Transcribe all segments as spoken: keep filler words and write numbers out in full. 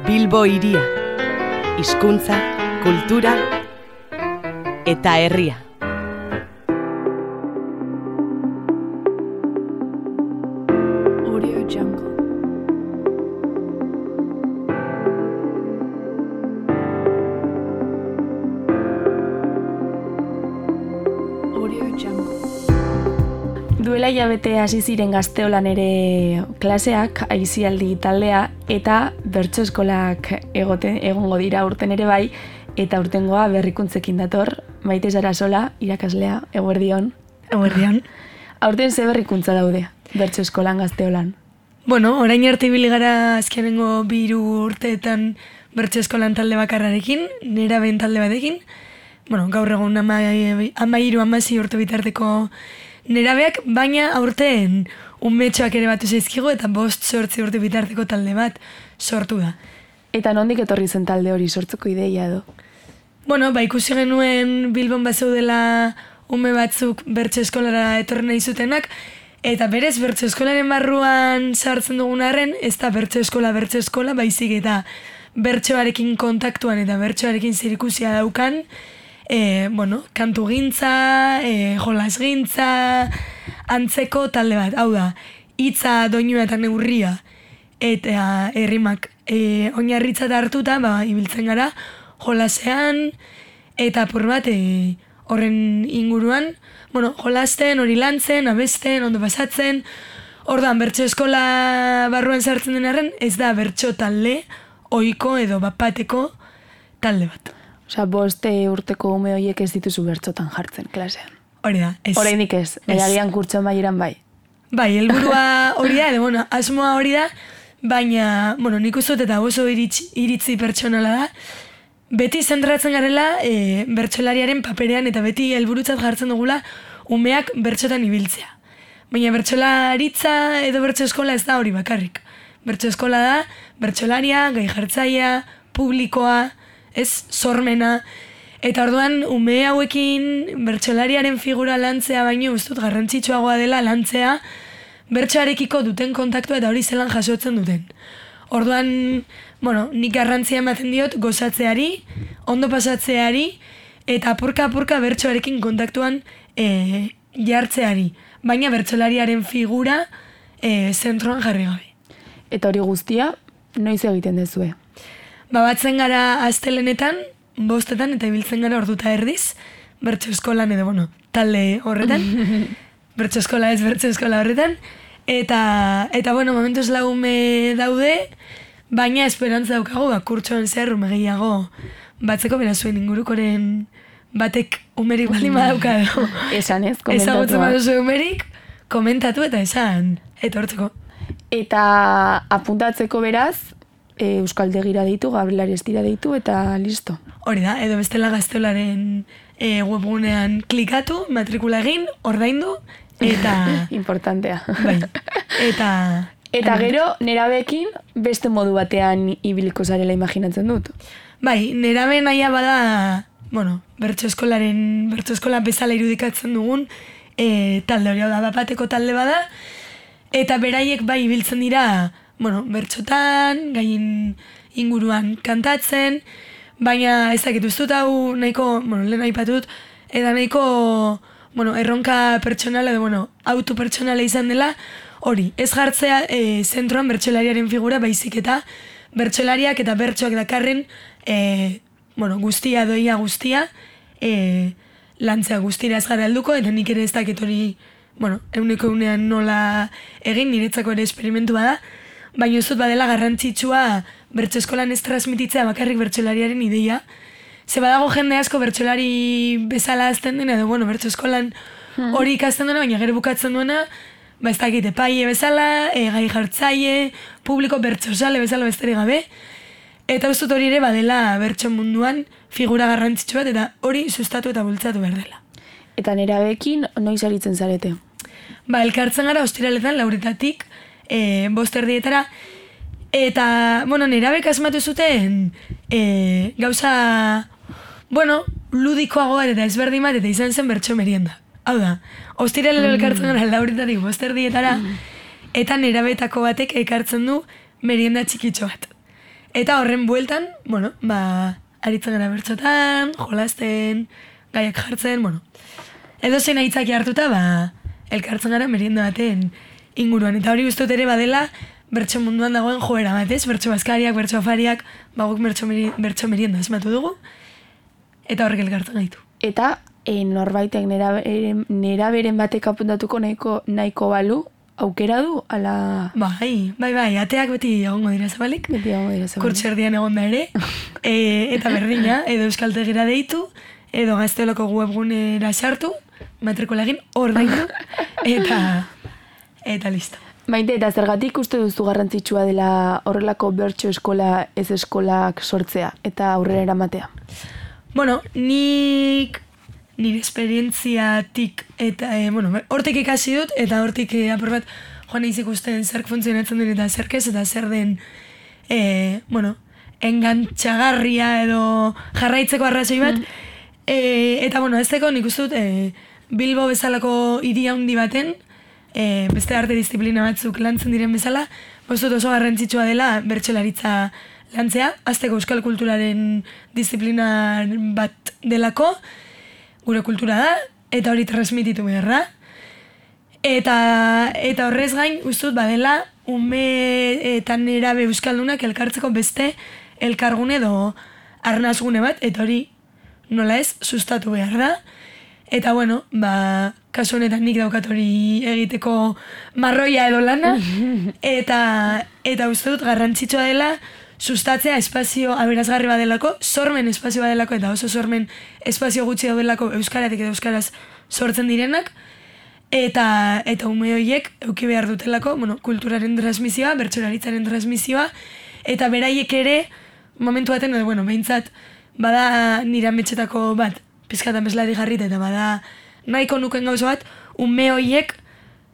Bilbo hiria, hizkuntza, kultura eta herria. Audio Jungle. Audio Jungle. Duela hilabete hasi ziren Gazteolan ere klaseak, aisialdi taldea, eta bertso eskolak egoten, egongo dira urten ere bai, eta urtengoa berrikuntzekin dator, Maite Sarasola, irakaslea, eguerdion. Eguerdion. Aurten ze berrikuntza daude, bertso eskolan Gazteolan? Bueno, orain arte ibili gara azkenengo bi hiru urteetan bertso eskolan talde bakarrarekin, neraben talde batekin. Bueno, gaur egun ama, ama hiru, amasi urte bitarteko nerabeak, baina aurten umetxoak ere batu zaizkigu eta bost sortzi urte bitarteko talde bat sortu da. Eta nondik etorri zen talde hori sortzeko ideia edo? Bueno, ba ikusi genuen Bilbon bazeudela ume batzuk bertso eskolara etorri nahi zutenak, eta berez bertso eskolaren barruan sartzen dugun arren, ez da bertso eskola bertso eskola, baizik eta bertsoarekin kontaktuan eta bertsoarekin zerikusia daukan, E, bueno, kantu gintza, e, jolas gintza, antzeko talde bat. Hau da, hitza, doinua eta neurria eta errimak e, oinarritzat hartuta, ba, ibiltzen gara jolasean eta apur bat e, horren inguruan, bueno, jolasten, hori lantzen, abesten, ondo pasatzen. Orduan, bertso eskola barruan sartzen den arren, ez da bertso talde, ohiko edo bapateko talde bat. Osa, boste urteko ume horiek ez dituzu bertsotan jartzen, klasean. Hori da, ez. Horreinik ez, eragian kurtsoan baieran bai. Bai, helburua hori da, edo, bueno, asmoa hori da, baina, bueno, nik uste dut eta oso iritzi, iritzi pertsonala da, beti zentratzen garela e, bertsolariaren paperean eta beti helburutzat jartzen dugula umeak bertsotan ibiltzea. Baina bertsolaritza edo bertso eskola ez da hori bakarrik. Bertso eskola da, bertsolaria, gai jartzaia, publikoa, ez, sormena, eta orduan ume hauekin bertsolariaren figura lantzea baino ustut garrantzitsuagoa dela lantzea bertsoarekiko duten kontaktua eta hori zelan jasotzen duten. Orduan, bueno, nik garrantzia ematen diot gozatzeari, ondo pasatzeari, eta apurka-apurka bertsoarekin kontaktuan e, jartzeari, baina bertsolariaren figura e, zentroan jarri gabe. Eta hori guztia, noiz egiten dezue? Ba, batzen gara astelenetan, bostetan, eta ibiltzen gara orduta erdiz, bertso eskolan edo, bueno, talde horretan, bertso eskola ez bertso eskola horretan, eta, eta bueno, momentuz lagume daude, baina esperantza daukagu, ba, kurtsoan zehar ume gehiago batzeko berazuen ingurukoren batek umerik bali madauka edo. Esan ez, komentatu. Ezagutzen baduzu umerik, komentatu eta esan, etortzeko. Eta apuntatzeko beraz, E, Euskaldegira deitu, Gabrielari Estira deitu, eta listo. Hori da, edo bestela Gazteolaren e, webgunean klikatu, matrikula egin, ordaindu, eta... Importantea. Bai, eta... Eta gero, nerabeekin beste modu batean ibiliko zarela imaginatzen dut. Bai, nerabe naia bada, bueno, bertso eskolaren, bertso eskola bezala irudikatzen dugun, e, talde hori da, bapateko talde bada, eta beraiek bai ibiltzen dira, bueno, bertsotan, gain inguruan kantatzen, baina ez dakit ustut hau nahiko, bueno, lehen aipatut, eta nahiko, bueno, erronka pertsonala edo, bueno, auto pertsonala izan dela, hori, ez jartzea e, zentroan bertsolariaren figura, baizik eta bertsolariak eta bertsoak dakarren, e, bueno, guztia, doia guztia, e, lantzea guztira ez gara helduko, eta nik ere ez dakit hori, bueno, euneko unean nola egin, niretzako ere esperimentu bada, baina ez dut badela garrantzitsua bertso eskolan ez transmititzea bakarrik bertsolariaren ideia. Ze badago jende asko bertsolari bezala azten dena, edo bueno, bertso eskolan hori ikasten duena, baina gero bukatzen duena, ba ez dakit, epaile bezala, e, gai jartzaile, publiko bertsozale bezala besterik gabe, eta ez dut hori ere badela bertso munduan figura garrantzitsu bat, eta hori sustatu eta bultzatu behar dela. Eta nerabeekin noiz aritzen zarete? Ba, elkartzen gara ostiraletan lauretatik, E, bost erdietara, eta, bueno, nerabek asmatu zuten e, gauza, bueno, ludikoago bat eta ezberdin bat, eta izan zen bertso merienda. Hau da, ostiralero elkartzen gara lauretatik bost erdietara, eta nerabetako batek ekartzen du merienda txikitxo bat. Eta horren bueltan, bueno, ba, aritzen gara bertxotan, jolasten, gaiak jartzen, bueno. Edo zein aitzaki hartuta, ba, elkartzen gara merienda baten inguruan. Eta hori guztut ere badela, bertso munduan dagoen joera bat, ez? Bertso bazkariak, bertso afariak, ba, guk bertso, meri, bertso merienda esmatu dugu, eta horrek elkartzen gaitu. Eta e, norbaitek nera, nera beren batek apuntatuko nahiko, nahiko balu, aukera du, ala... Bai, bai, bai, ateak beti egongo dira zabalik. Beti egongo dira zabalik. Kurtserdian egon da ere, e, eta berdina, edo euskaltegira deitu, edo gazteolako webgunera sartu, matrikula egin, hor daitu, eta, eta listo. Maite, eta zergatik uste duzu garrantzitsua dela horrelako bertso eskola ez eskolak sortzea, eta aurrera eramatea? Bueno, nik... nire esperientziatik eta, e, bueno, hortik ikasi dut, eta hortik e, apur bat joan eiz ikusten zerk funtzionatzen duen eta zerkez, eta zer den, e, bueno, engantxagarria edo jarraitzeko arrazoi bat. Mm. E, eta, bueno, ez teko nik uste dut, e, Bilbo bezalako hiri handi baten, e, beste arte disiplina batzuk lantzen diren bezala, bostut oso garrantzitsua dela bertsolaritza lantzea, azteko euskal kulturaren disiplina bat delako, gure kultura da, eta hori transmititu behar da. Eta, eta horrez gain, ustut badela, ume eta nerabe euskaldunak elkartzeko beste elkargune edo arnazgune bat, eta hori nola ez, sustatu behar da. Eta bueno, ba, kasu honetan nik daukat hori egiteko marroia edo lana, eta, eta uste dut garrantzitsua dela, sustatzea espazio aberazgarri badelako, sormen espazio badelako, eta oso sormen espazio gutxi daudelako euskaratik edo euskaraz sortzen direnak, eta eta ume horiek eduki behar dutelako, bueno, kulturaren transmisioa, bertsolaritzaren transmisioa, eta beraiek ere, momentu baten, edo, bueno, behintzat, bada nire ametxetako bat, pizkatan bezlari jarrita, eta bada nahiko nuken gauza bat, ume horiek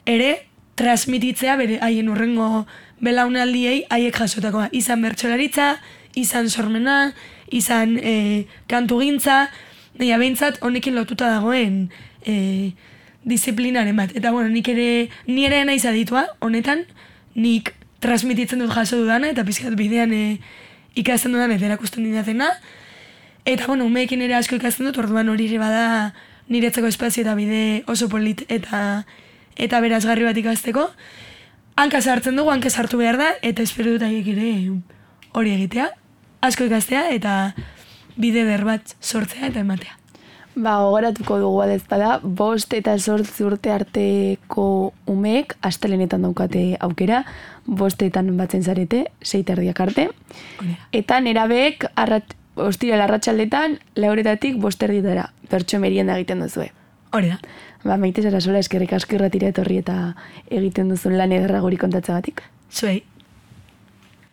ere transmititzea bere haien urrengo belaunaldiei haiek jasotakoa. Izan bertsolaritza, izan sormena, izan e, kantugintza, nahi behintzat honekin lotuta dagoen e, disiplinaren bat. Eta bueno, nik ere, ni ere naiz aditua, honetan, nik transmititzen dut jaso dudana, eta pizkat bidean e, ikasten dudan eta erakusten didatena. Eta bueno, umeekin ere asko ikasten dut, orduan hori ere bada niretzeko espazio eta bide oso polit eta eta berazgarri bat ikasteko. Hanka sartzen dugu, hanka sartu behar da, eta espero dut haiek ere hori egitea, asko ikastea, eta bide der bat sortzea eta ematea. Ba, gogoratuko dugu adezpada, bost eta sortzi urte arteko umeek astelenetan daukate aukera, bostetan batzen zarete, sei terdiak arte, eta nerabeek arrat, ostira larratxaldetan, lauretatik bosterdietara, bertso merienda egiten duzue. Hori da. Ba, Maite Sarasola, eskerrik asko irratira etorri eta egiten duzun lan ederra guri kontatzagatik. Zuei.